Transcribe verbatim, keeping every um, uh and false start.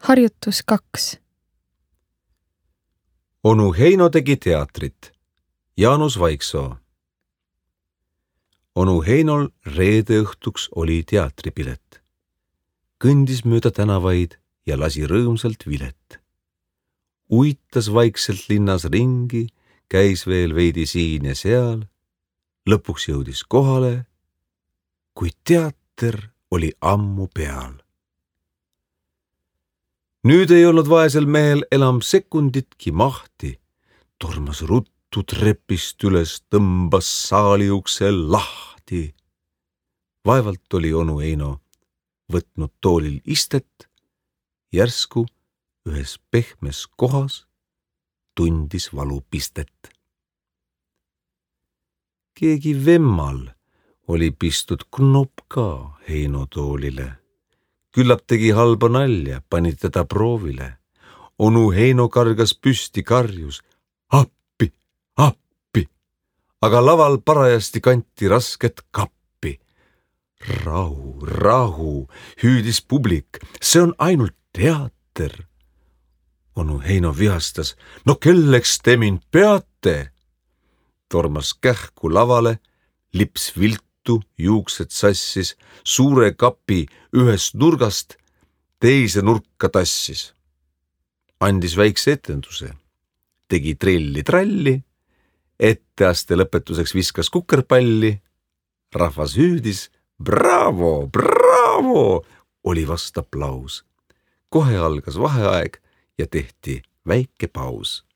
Harjutus kaks. Onu Heino tegi teatrit. Jaanus Vaiksoo. Onu Heinol reede õhtuks oli teatripilet. Kõndis mööda tänavaid ja lasi rõõmsalt vilet. Uitas vaikselt linnas ringi, käis veel veidi siin ja seal. Lõpuks jõudis kohale, kui teater oli ammu peal. Nüüd ei olnud vaesel mehel enam sekunditki mahti. Tormas ruttu trepist üles, tõmbas saali ukse lahti. Vaevalt oli onu Heino võtnud toolil istet, järsku ühes pehmes kohas tundis valupistet. Keegi vemmal oli pistud knopp ka Heino toolile. Küllap tegi halba nalja, pani teda proovile. Onu Heino kargas püsti, karjus. Appi, appi. Aga laval parajasti kanti rasket kappi. Rahu, rahu, hüüdis publik. See on ainult teater. Onu Heino vihastas. No kelleks te mind peate? Tormas kähku lavale, lips viltu, juuksed sassis, suure kapi ühest nurgast teise nurka tassis. Andis väikse etenduse, tegi trilli-tralli, etteaste lõpetuseks viskas kukerpalli, rahvas hüüdis, bravo, bravo, oli vast aplaus. Kohe algas vaheaeg ja tehti väike paus.